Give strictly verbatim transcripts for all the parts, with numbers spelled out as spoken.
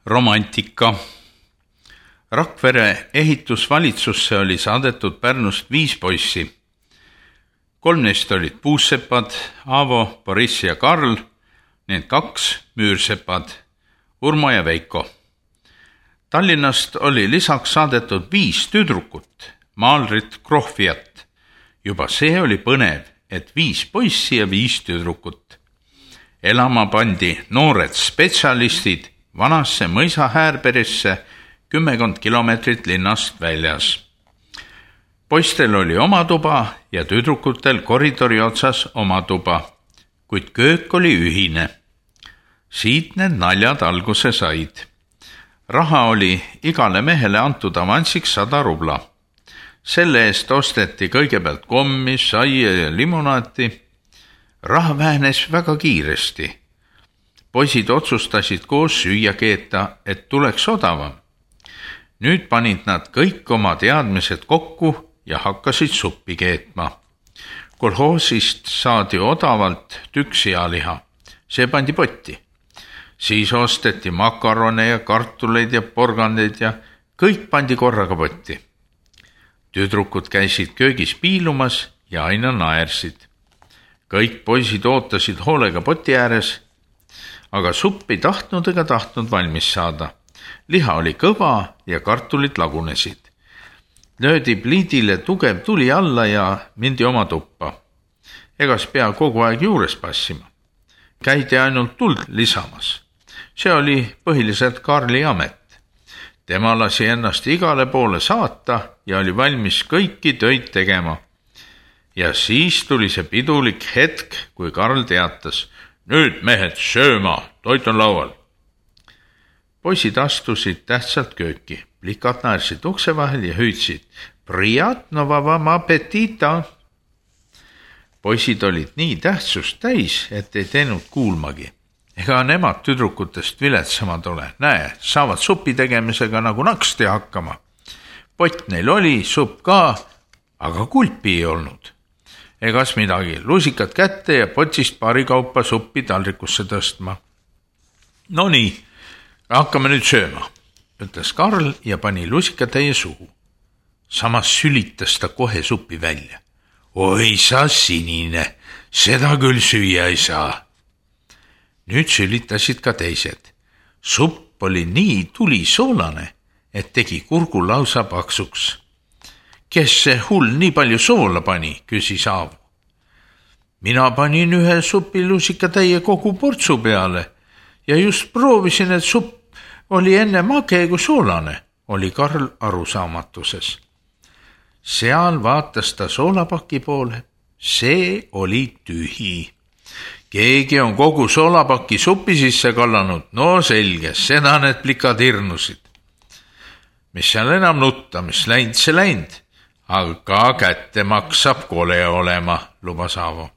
Romantika. Rakvere ehitusvalitsusse oli saadetud Pärnust viis poissi. Kolm neist olid puussepad, Aavo, Boriss ja Karl, need kaks müürsepad, Urmo ja Veiko. Tallinnast oli lisaks saadetud viis tüdrukut, Maalrit, Krohviat. Juba see oli põnev, et viis poissi ja viis tüdrukut. Elama pandi noored spetsialistid vanasse mõisa Häärberisse kümmekond kilomeetrit linnast väljas. Poistel oli oma tuba ja tüdrukutel koridori otsas oma tuba, kuid köök oli ühine. Siit need naljad alguse said. Raha oli igale mehele antud avansiks sada rubla. Selle eest osteti kõigepealt kommi, saia ja limonaati. Raha vähenes väga kiiresti. Poisid otsustasid koos süüa keeta, et tuleks odavam. Nüüd panid nad kõik oma teadmised kokku ja hakkasid suppi keetma. Kolhoosist saadi odavalt tükk sealiha. See pandi potti. Siis osteti makarone ja kartuleid ja porgandeid ja kõik pandi korraga potti. Tüdrukud käisid köögis piilumas ja aina naersid. Kõik poisid ootasid hoolega poti ääres, aga suppi tahtnud ega tahtnud valmis saada. Liha oli kõva ja kartulid lagunesid. Löödi pliidile tugev tuli alla ja mindi oma tuppa. Egas pea kogu aeg juures passima. Käidi ainult tuld lisamas. See oli põhiliselt Karli amet. Tema lasi ennast igale poole saata ja oli valmis kõiki töid tegema. Ja siis tuli see pidulik hetk, kui Karl teatas, nüüd mehed sööma, toit on laual. Poisid astusid tähtsalt kööki, plikad naersid ukse vahel ja hüüdsid, prijatno vam apetita. Poisid olid nii tähtsust täis, et ei teinud kuulmagi. Ega nemad tüdrukutest viletsamad ole. Näe, saavad supi tegemisega nagu naksti hakkama. Pott neil oli, supp ka, aga kulpi ei olnud. Egas midagi, lusikad kätte ja potist paari kaupa suppi taldrikusse tõstma. No nii, hakkame nüüd sööma, ütles Karl ja pani lusikatäie suhu. Samas sülitas ta kohe suppi välja. Oi sa sinine, seda küll süüa ei saa. Nüüd sülitasid ka teised. Supp oli nii tulisoolane, et tegi kurgu lausa paksuks. Kes see hull nii palju soola pani, küsis Aavo. Mina panin ühe supilusikatäie kogu portsu peale ja just proovisin, et supp oli enne mage kui soolane, oli Karl arusaamatuses. Seal vaatas ta soolapaki poole. See oli tühi. Keegi on kogu soolapaki supi sisse kallanud. No selge, seda need plikad hirnusid. Mis seal enam nutta, mis läinud, see läinud. Aga kätte maksab kole olema, lubas Aavo.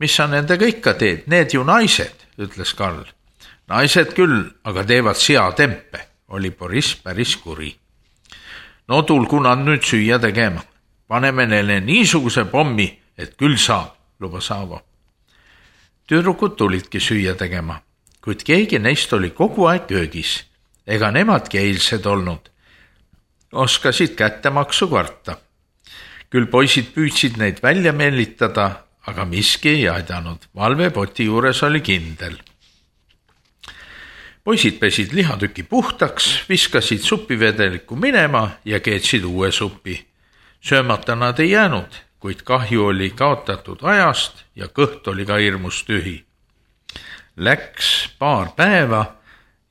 Mis sa nendega ikka teed? Need ju naised, ütles Karl. Naised küll, aga teevad seatempe, oli Boriss päris kuri. No tulgu nad nüüd süüa tegema. Paneme neile niisuguse pommi, et küll saab, lubas Aavo. Tüdrukud tulidki süüa tegema, kuid keegi neist oli kogu aeg köögis. Ega nemadki eilsed olnud. Oskasid kättemaksu karta. Küll poisid püüdsid neid välja meelitada, aga miski ei aidanud. Valvepoti juures oli kindel. Poisid pesid lihatüki puhtaks, viskasid supivedeliku minema ja keetsid uue supi. Söömata nad ei jäänud, kuid kahju oli kaotatud ajast ja kõht oli ka hirmus tühi. Läks paar päeva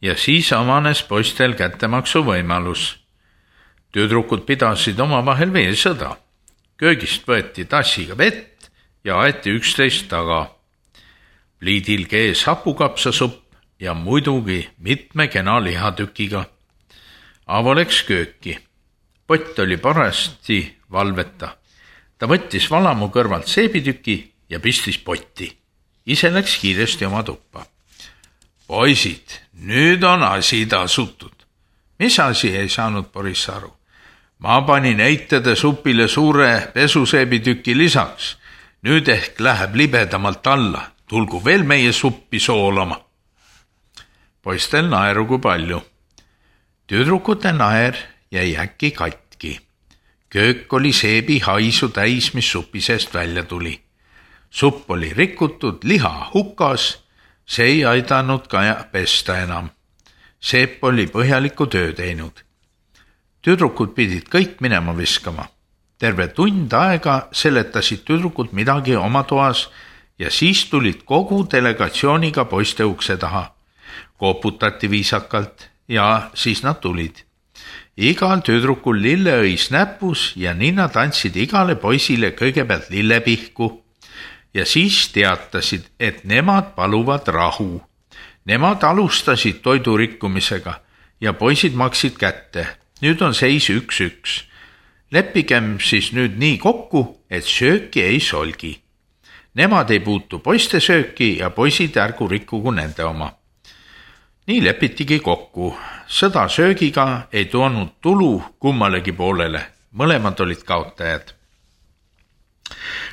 ja siis avanes poistel kättemaksu võimalus. Tüdrukud pidasid oma vahel veesõda. Köögist võeti tassiga vett ja aeti üksteist taga. Pliidil kees hapukapsasupp ja muidugi mitme kena lihatükiga. Aavo läks kööki. Pott oli parasti valveta. Ta võttis valamu kõrvalt seebitüki ja pistis potti. Ise läks kiiresti oma tuppa. Poisid, nüüd on asi tasutud. Mis asi, ei saanud Boriss aru. Ma panin eitede supile suure pesuseebitüki lisaks. Nüüd ehk läheb libedamalt alla. Tulgu veel meie suppi soolama. poistel naeru kui palju. Tüdrukute naer jäi äkki katki. Köök oli seebi haisu täis, mis supi seest välja tuli. Supp oli rikutud, liha hukas, see ei aidanud ka pesta enam. Seep oli põhjaliku töö teinud. Tüdrukud pidid kõik minema viskama. Terve tund aega seletasid tüdrukud midagi oma toas ja siis tulid kogu delegatsiooniga poiste ukse taha. Koputati viisakalt ja siis nad tulid. Igal tüdrukul lilleõis näpus ja nii nad andsid igale poisile kõigepealt lillepihku ja siis teatasid, et nemad paluvad rahu. Nemad alustasid toidu rikkumisega ja poisid maksid kätte. Nüüd on seis üks üks. Leppigem siis nüüd nii kokku, et sööki ei solgi. Nemad ei puutu poiste sööki ja poisid ärgu rikkugu nende oma. Nii lepitigi kokku. Sõda söögiga ei toonud tulu kummalegi poolele. Mõlemad olid kaotajad.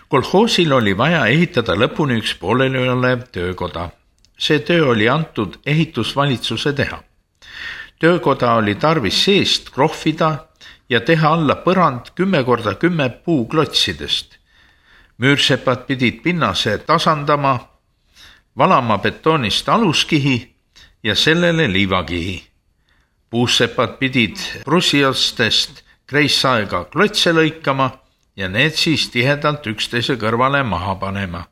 Kolhoosil oli vaja ehitada lõpuni üks pooleli olev töökoda. See töö oli antud ehitusvalitsuse teha. Töökoda oli tarvis seest krohvida ja teha alla põrand kümme korda kümme puuklotsidest. Müürsepad pidid pinnase tasandama, valama betoonist aluskihi ja sellele liivakihi. Puussepad pidid prussiostest kreissaega klotse lõikama ja need siis tihedalt üksteise kõrvale maha panema.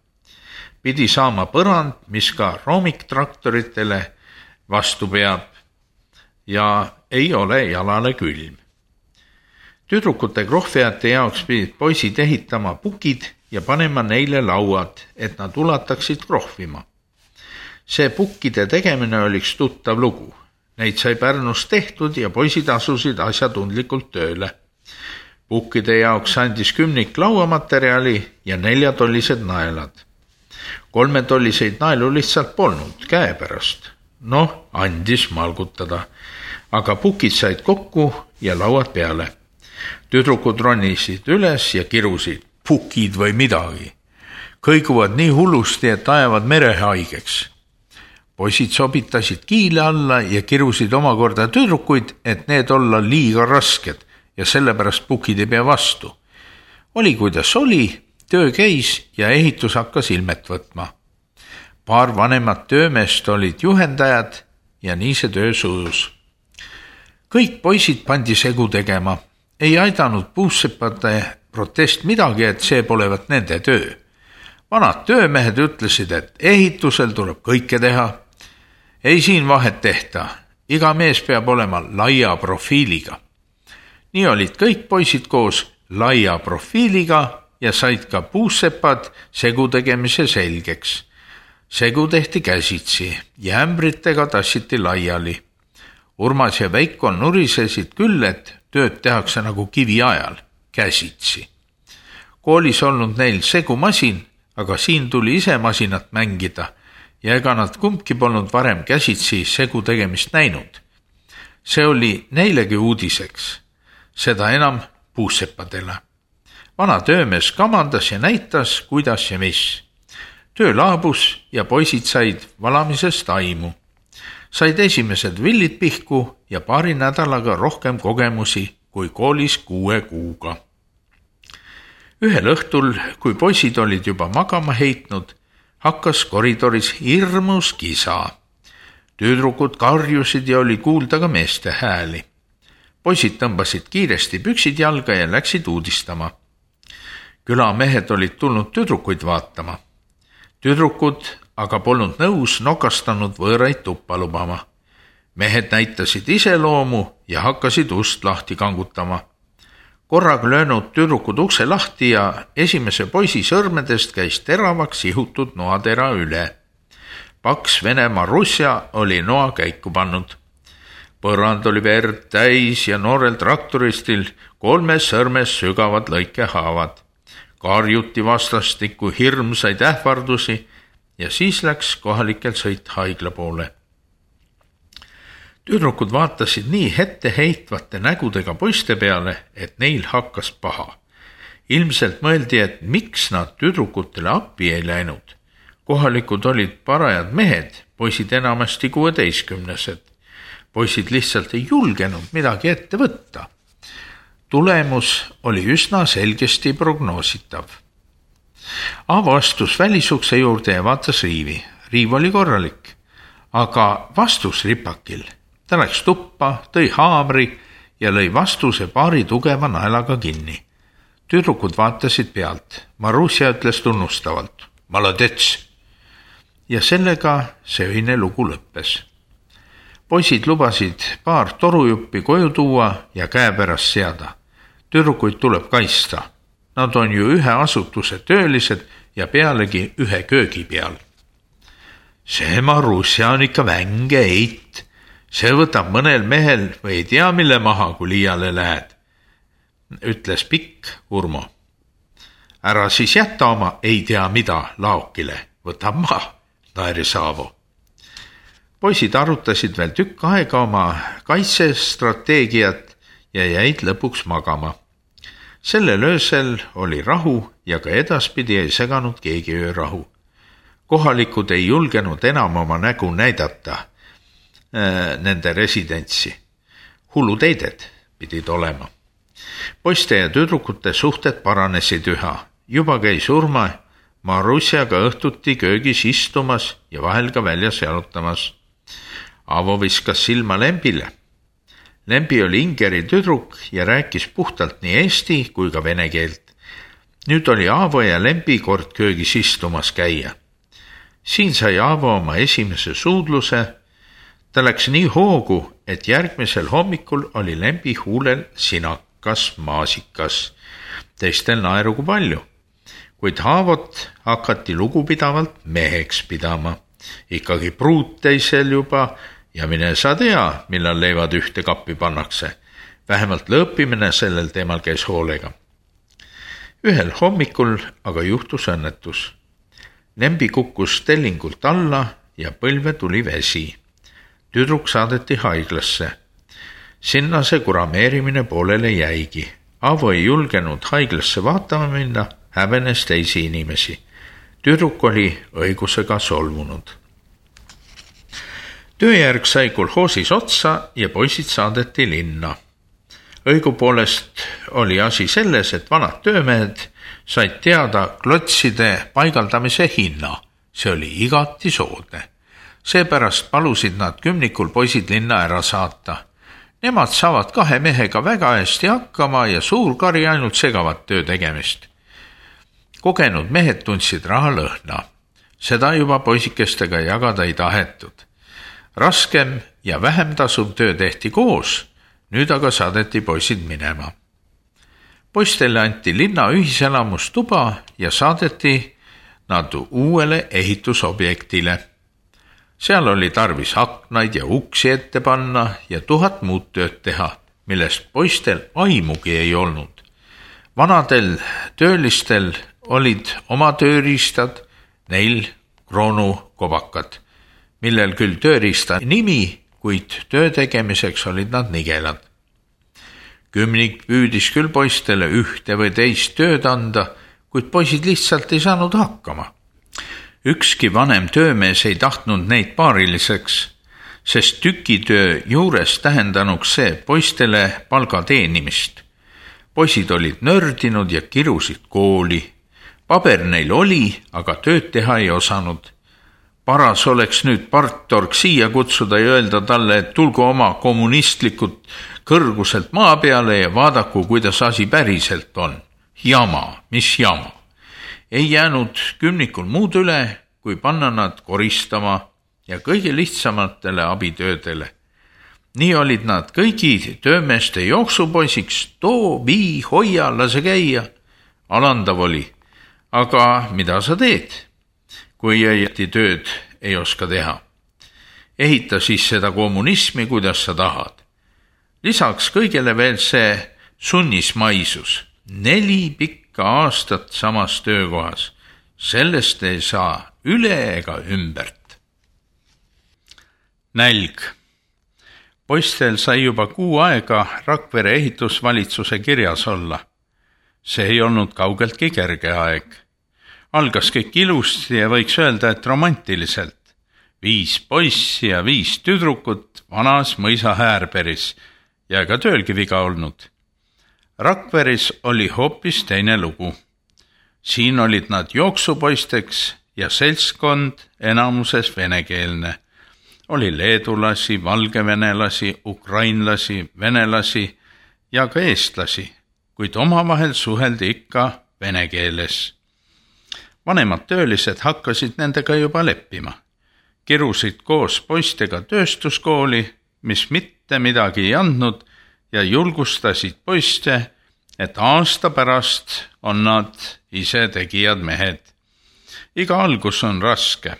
Pidi saama põrand, mis ka roomiktraktoritele vastu peab ja ei ole jalale külm. Tüdrukute krohvijate jaoks pidid poisid ehitama pukid ja panema neile lauad, et nad ulataksid krohvima. See pukkide tegemine oliks tuttav lugu. Neid sai Pärnus tehtud ja poisid asusid asjatundlikult tööle. Pukkide jaoks andis kümnik lauamaterjali ja neljatollised naelad. Kolmetolliseid naelu lihtsalt polnud käe pärast. Noh, andis malgutada, aga pukid said kokku ja lauad peale. Tüdrukud ronisid üles ja kirusid, pukid või midagi. Kõiguvad nii hullusti, et ajavad mere haigeks. Poisid sobitasid kiile alla ja kirusid omakorda tüdrukuid, et need olla liiga rasked ja sellepärast pukid ei pea vastu. Oli kuidas oli, töö käis ja ehitus hakkas ilmet võtma. Paar vanemat töömeest olid juhendajad ja nii see töö sujus. Kõik poisid pandi segu tegema. Ei aidanud puussepade protest midagi, et see polevat nende töö. Vanad töömehed ütlesid, et ehitusel tuleb kõike teha. Ei siin vahet tehta. Iga mees peab olema laia profiiliga. Nii olid kõik poisid koos laia profiiliga ja said ka puussepad segu tegemise selgeks. Segu tehti käsitsi ja ämbritega tassiti laiali. Urmas ja Veiko nurisesid küll, et tööd tehakse nagu kivi ajal, käsitsi. Koolis olnud neil segumasin, aga siin tuli ise masinat mängida ja ega nad kumbki polnud varem käsitsi segu tegemist näinud. See oli neilegi uudiseks, seda enam puussepadele. Vana töömees kamandas ja näitas, kuidas ja mis. Töö laabus ja poisid said valamisest aimu. Said esimesed villid pihku ja paari nädalaga rohkem kogemusi kui koolis kuue kuuga. Ühel õhtul, kui poisid olid juba magama heitnud, hakkas koridoris hirmus kisa. Tüdrukud karjusid ja oli kuulda ka meeste hääli. Poisid tõmbasid kiiresti püksid jalga ja läksid uudistama. Külamehed olid tulnud tüdrukuid vaatama. Tüdrukud aga polnud nõus nokastanud võõraid tuppa lubama. Mehed näitasid iseloomu ja hakkasid ust lahti kangutama. Korraga löönud tüdrukud ukse lahti ja esimese poisi sõrmedest käis teravaks ihutud noatera üle. Paks Venemaa Russia oli noa käiku pannud. Põrand oli verd täis ja noorel traktoristil kolmes sõrmes sügavad lõikehaavad. Karjuti vastastikku hirmsaid ähvardusi ja siis läks kohalikel sõit haigla poole. Tüdrukud vaatasid nii hette heitvate nägudega poiste peale, et neil hakkas paha. Ilmselt mõeldi, et miks nad tüdrukutele appi ei läinud. Kohalikud olid parajad mehed, poisid enamasti kuueteistkümnesed. Poisid lihtsalt ei julgenud midagi ette võtta. Tulemus oli üsna selgesti prognoositav. Aavo astus välisukse juurde ja vaatas riivi. Riiv oli korralik, aga vastus ripakil. Ta läks tuppa, tõi haamri ja lõi vastuse paari tugeva naelaga kinni. Tüdrukud vaatasid pealt. Marussia ütles tunnustavalt. Maladets! Ja sellega see öine lugu lõppes. Poisid lubasid paar torujuppi koju tuua ja käepärast seada. Tüdrukuid tuleb kaitsta. Nad on ju ühe asutuse töölised ja pealegi ühe köögi peal. See Marussia on ikka vänge eit. See võtab mõnel mehel või ei tea mille maha, kui liiale lähed, ütles pikk Urmo. Ära siis jätta oma ei tea mida laokile, võtab maha, naeris Aavo. Poisid arutasid veel tükk aega oma kaitsestrateegiat ja jäid lõpuks magama. Sellel öösel oli rahu ja ka edaspidi ei seganud keegi öörahu. Kohalikud ei julgenud enam oma nägu näidata äh, nende residentsi. Hulluteided pidid olema. Poiste ja tüdrukute suhted paranesid üha. Juba käis Urma Marussiaga õhtuti köögis istumas ja vahel ka väljas jalutamas. Aavo viskas silma Lembile. Lembi oli Ingeri tüdruk ja rääkis puhtalt nii eesti kui ka vene keelt. Nüüd oli Aavo ja Lembi kord köögis istumas käia. Siin sai Aavo oma esimese suudluse. Ta läks nii hoogu, et järgmisel hommikul oli Lembi huulel sinakas maasikas. Teistel naerugu palju, kuid Aavot hakati lugupidavalt meheks pidama. Ikkagi pruut teisel juba ja mine sa tea, millal leivad ühte kappi pannakse. Vähemalt lõppimine sellel teemal käis hoolega. Ühel hommikul aga juhtus õnnetus. Lembi kukkus tellingult alla ja põlve tuli vesi. Tüdruk saadeti haiglasse. Sinna see kurameerimine poolele jäigi. Aavo ei julgenud haiglasse vaatama minna, häbenes teisi inimesi. Tüdruk oli õigusega solvunud. Tööjärg sai kolhoosis otsa ja poisid saadeti linna. Õigupoolest oli asi selles, et vanad töömehed said teada klotside paigaldamise hinna. See oli igati soodne. Seepärast palusid nad kümnikul poisid linna ära saata. Nemad saavad kahe mehega väga hästi hakkama ja suur kari ainult segavad töö tegemist. Kogenud mehed tundsid raha lõhna. Seda juba poisikestega jagada ei tahetud. Raskem ja vähem tasuv töö tehti koos, nüüd aga saadeti poisid minema. Poistele anti linna ühiselamustuba ja saadeti nad uuele ehitusobjektile. Seal oli tarvis aknaid ja uksi ette panna ja tuhat muud tööd teha, millest poistel aimugi ei olnud. Vanadel töölistel olid oma tööriistad, neil kroonukobakad, millel küll tööriista nimi, kuid töö tegemiseks olid nad nigelad. Kümnik püüdis küll poistele ühte või teist tööd anda, kuid poisid lihtsalt ei saanud hakkama. Ükski vanem töömees ei tahtnud neid paariliseks, sest tükitöö juures tähendanuks see poistele palga teenimist. Poisid olid nördinud ja kirusid kooli. Paber neil oli, aga tööd teha ei osanud. Paras oleks nüüd partorg siia kutsuda ja öelda talle, et tulgu oma kommunistlikud kõrguselt maa peale ja vaadaku, kuidas asi päriselt on. Jama, mis jama. Ei jäänud kümnikul muud üle, kui panna nad koristama ja kõige lihtsamatele abitöödele. Nii olid nad kõigi töömeeste jooksupoisiks, too, vii, hoia, lase käia. Alandav oli. Aga mida sa teed, kui õieti tööd ei oska teha? Ehita siis seda kommunismi, kuidas sa tahad. Lisaks kõigele veel see sunnismaisus. Neli pikka aastat samas töökohas. Sellest ei saa üle ega ümbert. Nälg. Poistel sai juba kuu aega Rakvere ehitusvalitsuse kirjas olla. See ei olnud kaugeltki kerge aeg. Algas kõik ilusti ja võiks öelda, et romantiliselt. viis poissi ja viis tüdrukut vanas mõisa Häärberis ja ega töölgi viga olnud. Rakveres oli hoopis teine lugu. Siin olid nad jooksupoisteks ja seltskond enamuses venekeelne. Oli leedulasi, valgevenelasi, ukrainlasi, venelasi ja ka eestlasi, kuid omavahel suheldi ikka vene keeles. Vanemad töölised hakkasid nendega juba leppima. Kirusid koos poistega tööstuskooli, mis mitte midagi ei andnud ja julgustasid poiste, et aasta pärast on nad ise tegijad mehed. Iga algus on raske.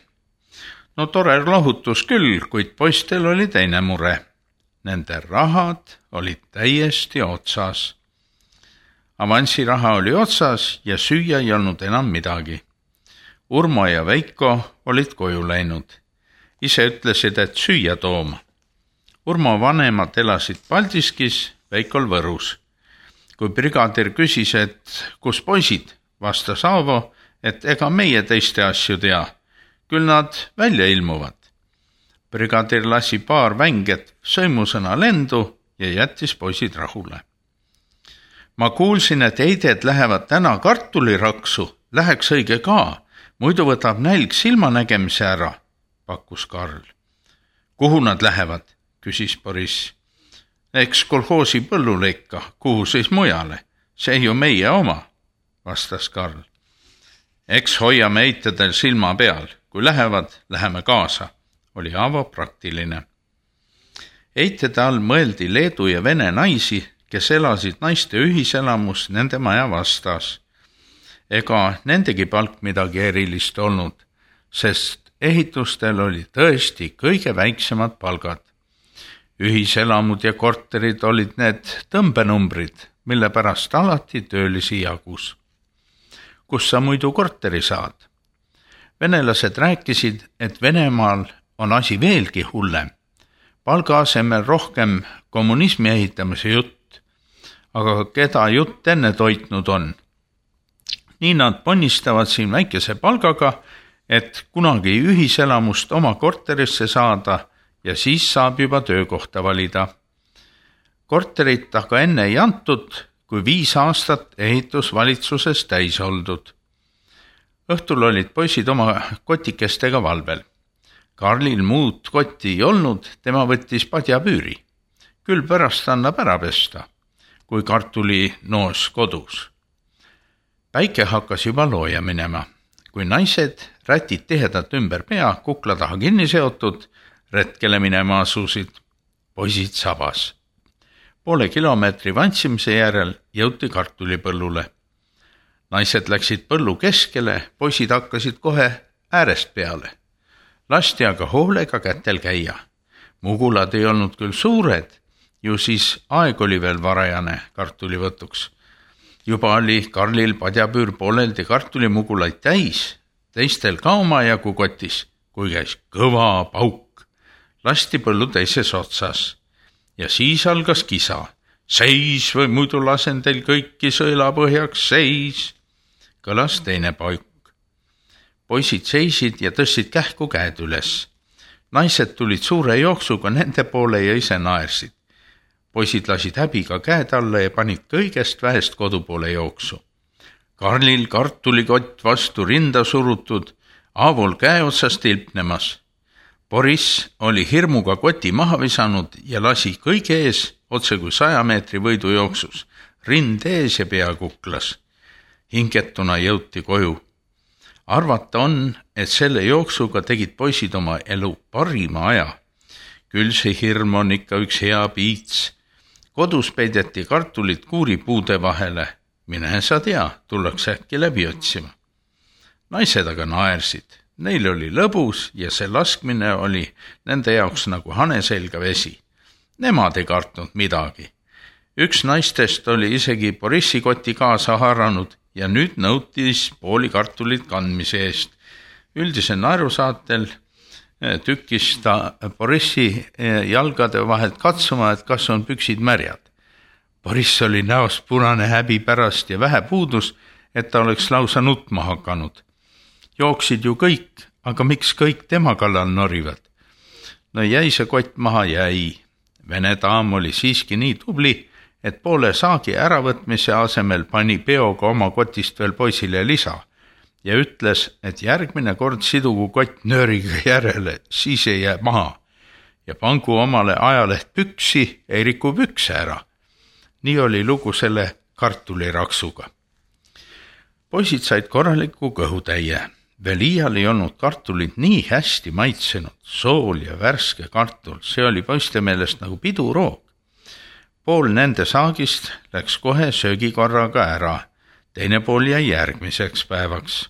No tore lohutus küll, kuid poistel oli teine mure. Nende rahad olid täiesti otsas. Avansiraha oli otsas ja süüa ei olnud enam midagi. Urmo ja Veiko olid koju läinud. Ise ütlesid, et süüa tooma. Urmo vanemad elasid Paldiskis, Veikol Võrus. Kui brigadir küsis, et kus poisid, vastas Aavo, et ega meie teiste asju tea. Küll nad välja ilmuvad. Brigadir lasi paar vänget sõimusõna lendu ja jättis poisid rahule. Ma kuulsin, et eided lähevad täna kartuliraksu, läheks õige ka, muidu võtab nälg silmanägemise ära, pakkus Karl. Kuhu nad lähevad, küsis Boriss. Eks kolhoosi põllule ikka, kuhu siis mujale, see ju meie oma, vastas Karl. Eks hoiame eitedel silma peal, kui lähevad, läheme kaasa, oli Aavo praktiline. Eitede all mõeldi Leedu ja Vene naisi, kes elasid naiste ühiselamus nende maja vastas. Ega nendegi palk midagi erilist olnud, sest ehitustel oli tõesti kõige väiksemad palgad. Ühiselamud ja korterid olid need tõmbenumbrid, mille pärast alati töölisi jagus. Kus sa muidu korteri saad? Venelased rääkisid, et Venemaal on asi veelgi hullem. Palga asemel rohkem kommunismi ehitamise jutt, aga keda jutt enne toitnud on? Nii nad ponnistavad siin väikese palgaga, et kunagi ühiselamust oma korterisse saada ja siis saab juba töökohta valida. Korterit aga enne ei antud, kui viis aastat ehitusvalitsuses täis oldud. Õhtul olid poisid oma kotikestega valvel. Karlil muud kotti ei olnud, tema võttis padjapüüri. Küll pärast annab ära pesta, kui kartuli noos kodus. Päike hakkas juba looja minema. Kui naised rätid tihedalt ümber pea, kukla taha kinni seotud, retkele minema asusid, poisid sabas. Poole kilomeetri vantsimise järel jõuti kartulipõllule. Naised läksid põllu keskele, poisid hakkasid kohe äärest peale. Lasti aga hoolega kätel käia. Mugulad ei olnud küll suured, ju siis aeg oli veel varajane kartulivõtuks. Juba oli Karlil padjapüür pooleldi kartulimugulaid täis, teistel ka oma jagu kotis, kui käis kõva pauk. Lasti põllu teises otsas ja siis algas kisa. Seis või muidu lasen teil kõiki sõelapõhjaks, seis, kõlas teine pauk. Poisid seisid ja tõstsid kähku käed üles. Naised tulid suure jooksuga nende poole ja ise naersid. Poisid lasid häbiga käed alla ja panid kõigest vähest kodu poole jooksu. Karlil kartulikott vastu rinda surutud, Aavol käe otsast tilpnemas. Boriss oli hirmuga koti maha visanud ja lasi kõige ees, otse kui saja meetri võidu jooksus, rind ees ja pea kuklas. Hingetuna jõuti koju. Arvata on, et selle jooksuga tegid poisid oma elu parima aja. Küll see hirm on ikka üks hea piits. Kodus peideti kartulit kuuripuude vahele. Mine sa tea, tullakse äkki läbi otsima. Naised aga naersid. Neil oli lõbus ja see laskmine oli nende jaoks nagu hane selga vesi. Nemad ei kartnud midagi. Üks naistest oli isegi Borissi koti kaasa haaranud ja nüüd nõutis pooli kartulit kandmise eest. Üldise naerusaatel tükkis ta Borissi jalgade vahelt katsuma, et kas on püksid märjad. Boriss oli näost punane häbi pärast ja vähe puudus, et ta oleks lausa nutma hakanud. Jooksid ju kõik, aga miks kõik tema kallal norivad? No jäi see kott maha, jäi. Vene daam oli siiski nii tubli, et poole saagi äravõtmise asemel pani peoga oma kotist veel poisile lisa ja ütles, et järgmine kord sidugu kott nööriga järele, siis ei jää maha ja pangu omale ajaleht püksi, ei riku pükse ära. Nii oli lugu selle kartuliraksuga. Poisid said korraliku kõhutäie. Veel iial ei olnud kartulid nii hästi maitsenud, sool ja värske kartul, see oli poiste meelest nagu piduroog. Pool nende saagist läks kohe söögikorraga ära, teine pool jäi järgmiseks päevaks.